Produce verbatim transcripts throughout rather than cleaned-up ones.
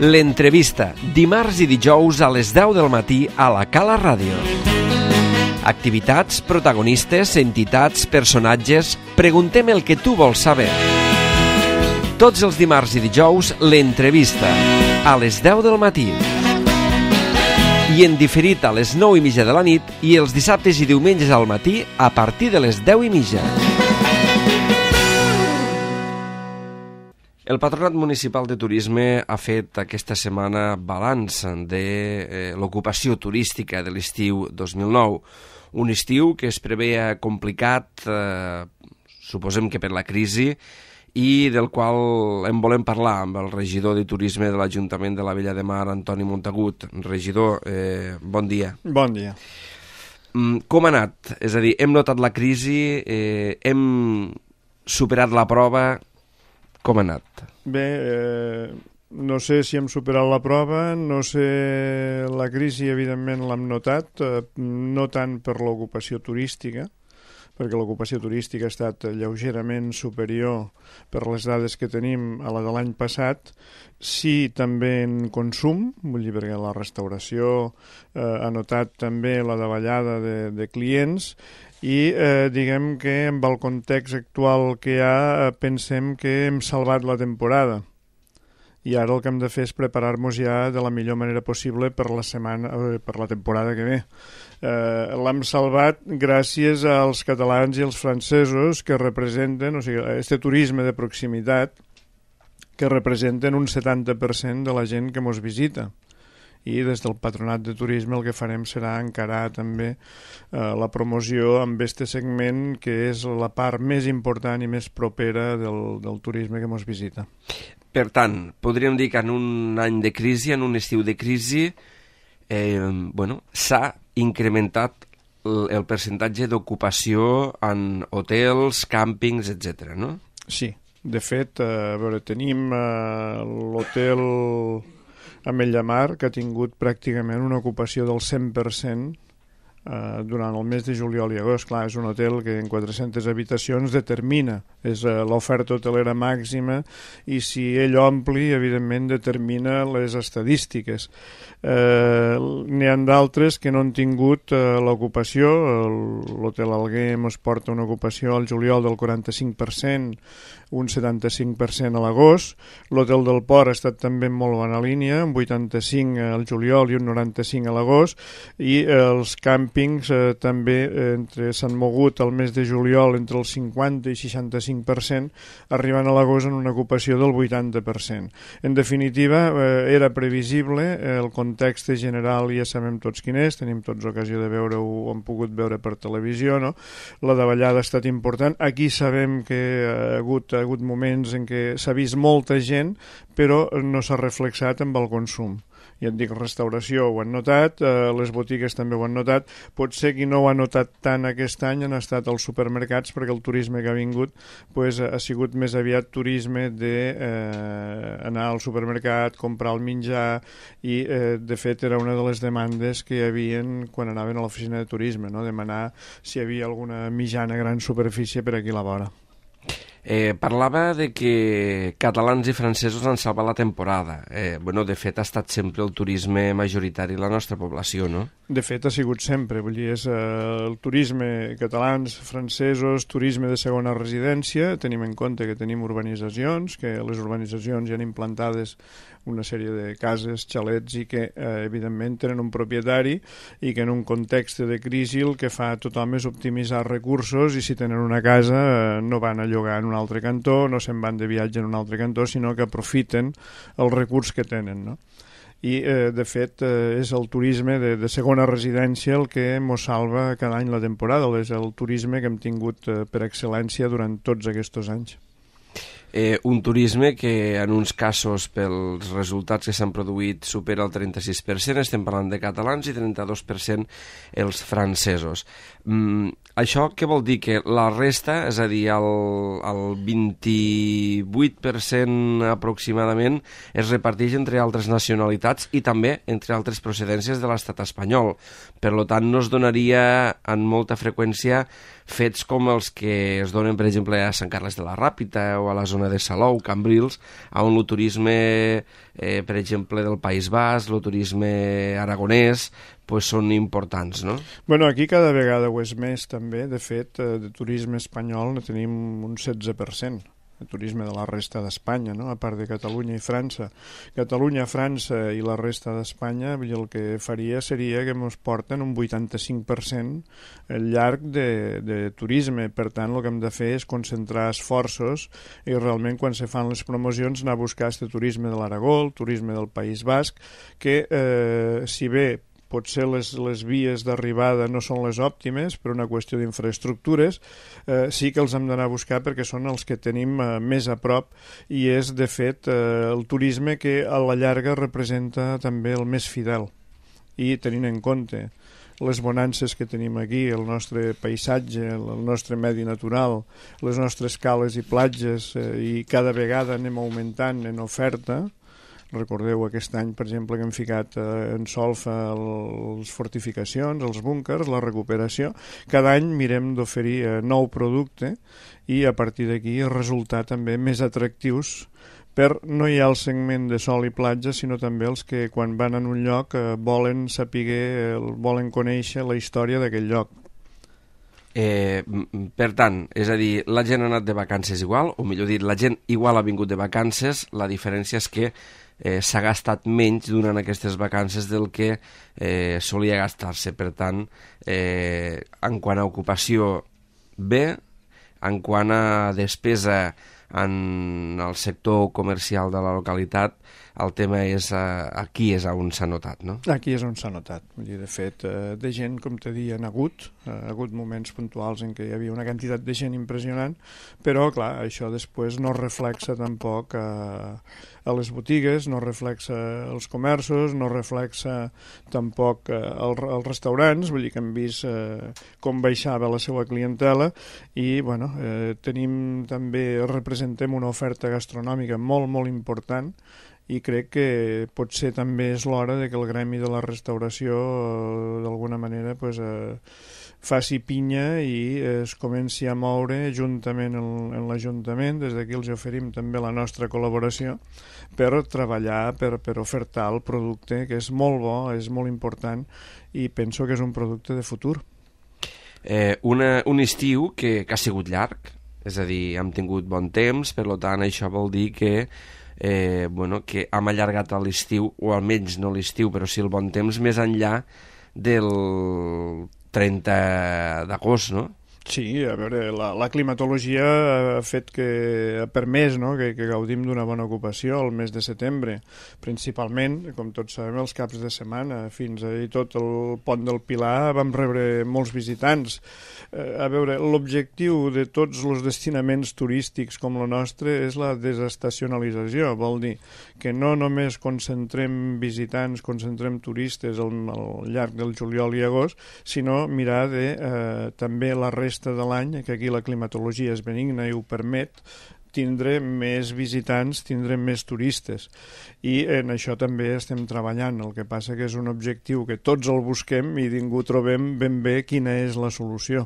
L'entrevista, dimarts i dijous a les deu del matí a la Cala Ràdio. Activitats, protagonistes, entitats, personatges... Preguntem el que tu vols saber. Tots els dimarts i dijous, l'entrevista, a les deu del matí. I en diferit a les nou i mitja de la nit i els dissabtes i diumenges al matí a partir de les deu i mitja. El Patronat Municipal de Turisme ha fet aquesta setmana balanç de eh, l'ocupació turística de l'estiu dos mil nou. Un estiu que es preveia complicat, eh, suposem que per la crisi, i del qual en volem parlar amb el regidor de Turisme de l'Ajuntament de la Vella de Mar, Antoni Montagut. Regidor, eh, bon dia. Bon dia. Mm, com ha anat? És a dir, hem notat la crisi, eh, hem superat la prova... Com ha anat? Bé, eh, no sé si hem superat la prova, no sé... La crisi, evidentment, l'hem notat, eh, no tant per l'ocupació turística, perquè l'ocupació turística ha estat lleugerament superior per les dades que tenim a la de l'any passat, sí també en consum, vull dir, perquè la restauració eh, ha notat també la davallada de, de clients, i eh, diguem que amb el context actual que hi ha eh, pensem que hem salvat la temporada i ara el que hem de fer és preparar-nos ja de la millor manera possible per la setmana, eh, per la temporada que ve. Eh, l'hem salvat gràcies als catalans i als francesos que representen, o sigui, este turisme de proximitat que representen un setanta per cent de la gent que mos visita. I des del Patronat de Turisme el que farem serà encarar també eh, la promoció amb este segment que és la part més important i més propera del, del turisme que ens visita. Per tant, podríem dir que en un any de crisi, en un estiu de crisi, eh, bueno, s'ha incrementat el, el percentatge d'ocupació en hotels, càmpings, etcètera, no? Sí, de fet, eh, a veure, tenim eh, l'hotel Ametlla Mar, que ha tingut pràcticament una ocupació del cent per cent eh, durant el mes de juliol i agost. Clar, és un hotel que en quatre-centes habitacions determina, és eh, l'oferta hotelera màxima, i si ell ompli, evidentment determina les estadístiques. Eh, n'hi ha d'altres que no han tingut eh, l'ocupació. L'hotel Alguer ens porta una ocupació al juliol del quaranta-cinc per cent, un setanta-cinc per cent a l'agost. L'hotel del Port ha estat també en molt bona línia, un vuitanta-cinc al juliol i un noranta-cinc a l'agost, i eh, els càmpings eh, també eh, entre s'han mogut al mes de juliol entre el cinquanta i seixanta-cinc per cent, arribant a l'agost en una ocupació del vuitanta per cent. En definitiva, eh, era previsible, eh, el context general ja sabem tots quin és, tenim tots ocasió de veure-ho, ho hem pogut veure per televisió, no? La davallada ha estat important. Aquí sabem que ha hagut ha hagut moments en què s'ha vist molta gent, però no s'ha reflexat amb el consum. Ja et dic, restauració ho han notat, eh, les botigues també ho han notat. Potser qui no ho ha notat tant aquest any han estat els supermercats, perquè el turisme que ha vingut pues, ha sigut més aviat turisme d'anar eh, al supermercat, comprar el menjar, i eh, de fet era una de les demandes que hi havia quan anaven a l'oficina de turisme, no? Demanar si hi havia alguna mitjana gran superfície per aquí a la vora. Eh, parlava de que catalans i francesos han salvat la temporada. Eh, bueno, de fet, ha estat sempre el turisme majoritari de la nostra població, no? De fet, ha sigut sempre. Vull dir, és eh, el turisme catalans, francesos, turisme de segona residència. Tenim en compte que tenim urbanitzacions, que les urbanitzacions hi han implantades una sèrie de cases, xalets, i que, eh, evidentment, tenen un propietari i que en un context de crisi el que fa tothom és optimitzar recursos, i si tenen una casa eh, no van a llogar en un altre cantó, no se'n van de viatge en un altre cantó, sinó que aprofiten el recurs que tenen, no? I, eh, de fet, eh, és el turisme de, de segona residència el que mos salva cada any la temporada, és el turisme que hem tingut eh, per excel·lència durant tots aquests anys. Eh, un turisme que en uns casos pels resultats que s'han produït supera el trenta-sis per cent, estem parlant de catalans, i trenta-dos per cent els francesos. Mm, això què vol dir? Que la resta, és a dir, el, el vint-i-vuit per cent aproximadament, es reparteix entre altres nacionalitats i també entre altres procedències de l'estat espanyol. Per tant, no es donaria en molta freqüència fets com els que es donen, per exemple, a Sant Carles de la Ràpita o a la zona de Salou, Cambrils, on el turisme, eh, per exemple, del País Basc, el turisme aragonès, pues són importants, no? Bueno, aquí cada vegada ho és més, també. De fet, de turisme espanyol ne tenim un setze per cent. El turisme de la resta d'Espanya, no? A part de Catalunya i França. Catalunya, França i la resta d'Espanya, el que faria seria que ens porten un vuitanta-cinc per cent al llarg de, de turisme. Per tant, el que hem de fer és concentrar esforços i realment quan se fan les promocions anar a buscar este turisme de l'Aragó, el turisme del País Basc, que eh, si bé potser les, les vies d'arribada no són les òptimes per una qüestió d'infraestructures, eh, sí que els hem d'anar a buscar perquè són els que tenim eh, més a prop i és, de fet, eh, el turisme que a la llarga representa també el més fidel. I tenint en compte les bonances que tenim aquí, el nostre paisatge, el nostre medi natural, les nostres cales i platges, eh, i cada vegada anem augmentant en oferta. Recordeu aquest any, per exemple, que hem ficat eh, en solfa les fortificacions, els búnkers, la recuperació. Cada any mirem d'oferir eh, nou producte i a partir d'aquí resultar també més atractius per no hi ha el segment de sol i platja, sinó també els que quan van en un lloc eh, volen saber, eh, volen conèixer la història d'aquell lloc. Eh, per tant, és a dir, la gent ha anat de vacances igual, o millor dit, la gent igual ha vingut de vacances, la diferència és que eh, s'ha gastat menys durant aquestes vacances del que eh, solia gastar-se. Per tant, eh, en quant a ocupació, bé, en quant a despesa en el sector comercial de la localitat, el tema és eh, aquí és on s'ha notat, no? Aquí és on s'ha notat. Vull dir, de fet, eh, de gent, com te dia, han hagut, eh, ha hagut moments puntuals en què hi havia una quantitat de gent impressionant, però, clar, això després no reflexa tampoc eh, a les botigues, no reflexa als comerços, no reflexa tampoc eh, als, als restaurants, vull dir que hem vist eh, com baixava la seva clientela i, bueno, eh, tenim també, representem una oferta gastronòmica molt, molt important i crec que potser també és l'hora de que el gremi de la restauració eh, d'alguna manera pues, eh, faci pinya i eh, es comenci a moure juntament en, en l'Ajuntament. Des d'aquí els oferim també la nostra col·laboració per treballar, per, per ofertar el producte, que és molt bo, és molt important i penso que és un producte de futur. Eh, una, un estiu que, que ha sigut llarg, és a dir, hem tingut bon temps, per tant això vol dir que Eh, bueno, que hem allargat l'estiu, o almenys no l'estiu, però sí el bon temps, més enllà del trenta d'agost, no? Sí, a veure, la, la climatologia ha fet que ha permès no? que, que gaudim d'una bona ocupació al mes de setembre, principalment, com tots sabem, els caps de setmana, fins a tot el pont del Pilar vam rebre molts visitants. Eh, a veure, l'objectiu de tots els destinaments turístics com el nostre és la desestacionalització, vol dir que no només concentrem visitants, concentrem turistes al, al llarg del juliol i agost, sinó mirar de eh, també la resta de l'any, que aquí la climatologia és benigna i ho permet, tindrem més visitants, tindrem més turistes i en això també estem treballant. El que passa que és un objectiu que tots el busquem i ningú trobem ben bé quina és la solució.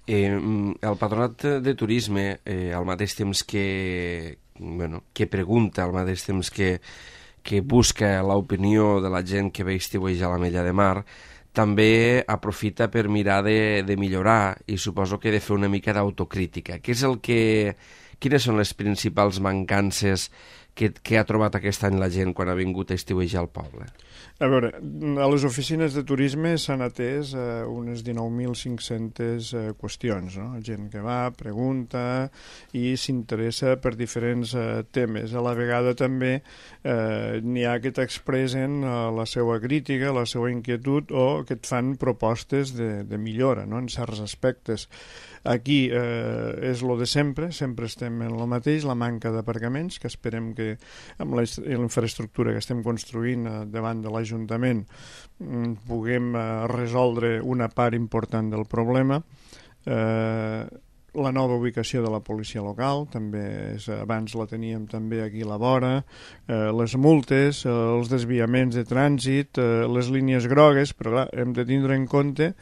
Eh, el Patronat de Turisme, eh, al mateix temps que, bueno, que pregunta, al mateix temps que, que busca l'opinió de la gent que ve estiuejar a l'Ametlla de Mar, també aprofita per mirar de, de millorar i suposo que de fer una mica d'autocrítica. Què és el que, quines són les principals mancances que, que ha trobat aquest any la gent quan ha vingut a estiuejar al poble? A veure, a les oficines de turisme s'han atès eh, unes dinou mil cinc-centes eh, qüestions, no? Gent que va, pregunta i s'interessa per diferents eh, temes. A la vegada també eh, n'hi ha que t'expressen eh, la seva crítica, la seva inquietud o que et fan propostes de, de millora, no? En certs aspectes. Aquí eh, és lo de sempre, sempre estem en el mateix, la manca d'aparcaments, que esperem que amb la infraestructura que estem construint eh, davant de l'Ajuntament mm, puguem eh, resoldre una part important del problema. Eh, la nova ubicació de la policia local, també és, abans la teníem també aquí a la vora, eh, les multes, eh, els desviaments de trànsit, eh, les línies grogues, però clar, hem de tindre en compte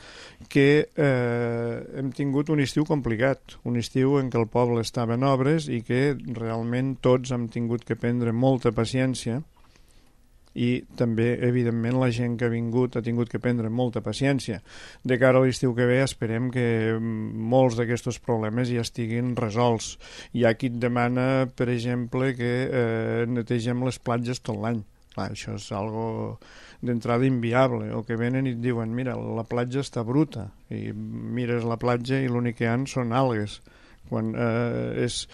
que eh, hem tingut un estiu complicat, un estiu en què el poble estava en obres i que realment tots hem tingut que prendre molta paciència, i també, evidentment, la gent que ha vingut ha tingut que prendre molta paciència. De cara a l'estiu que ve esperem que molts d'aquests problemes ja estiguin resolts. Hi ha qui et demana, per exemple, que eh, netegem les platges tot l'any. Clar, això és algo d'entrada inviable, o que venen i et diuen mira, la platja està bruta, i mires la platja i l'únic que hi ha són algues. Quan eh, és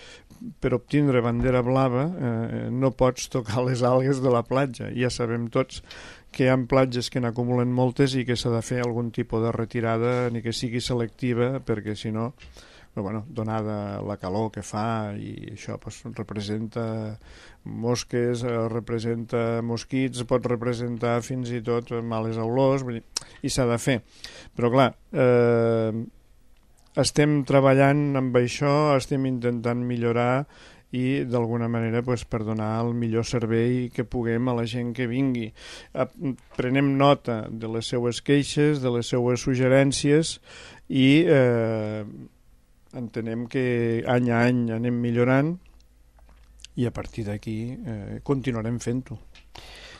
per obtindre bandera blava eh, no pots tocar les algues de la platja. Ja sabem tots que hi ha platges que n'acumulen moltes i que s'ha de fer algun tipus de retirada, ni que sigui selectiva, perquè si no, però, bueno, donada la calor que fa, i això pues, representa mosques, representa mosquits, pot representar fins i tot males olors, i s'ha de fer. Però clar, eh, estem treballant amb això, estem intentant millorar i d'alguna manera pues, per donar el millor servei que puguem a la gent que vingui. Prenem nota de les seues queixes, de les seues suggerències i eh, entenem que any a any anem millorant i a partir d'aquí eh, continuarem fent-ho.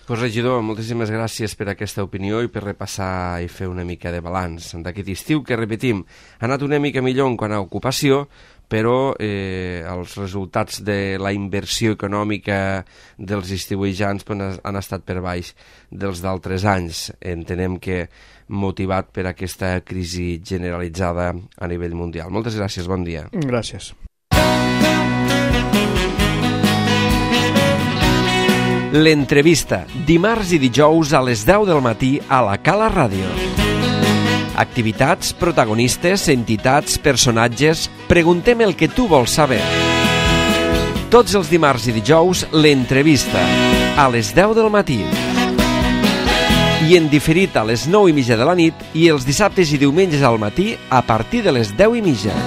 Pues, regidor, moltíssimes gràcies per aquesta opinió i per repassar i fer una mica de balanç d'aquest estiu que, repetim, ha anat una mica millor en quant a ocupació, però eh, els resultats de la inversió econòmica dels estiuejants pues, han estat per baix dels d'altres anys. Entenem que motivat per aquesta crisi generalitzada a nivell mundial. Moltes gràcies, bon dia. Gràcies. L'entrevista, dimarts i dijous a les deu del matí a la Cala Ràdio. Activitats, protagonistes, entitats, personatges... Preguntem el que tu vols saber. Tots els dimarts i dijous, l'entrevista, a les deu del matí. I en diferit a les nou i mitja de la nit i els dissabtes i diumenges al matí a partir de les deu i mitja.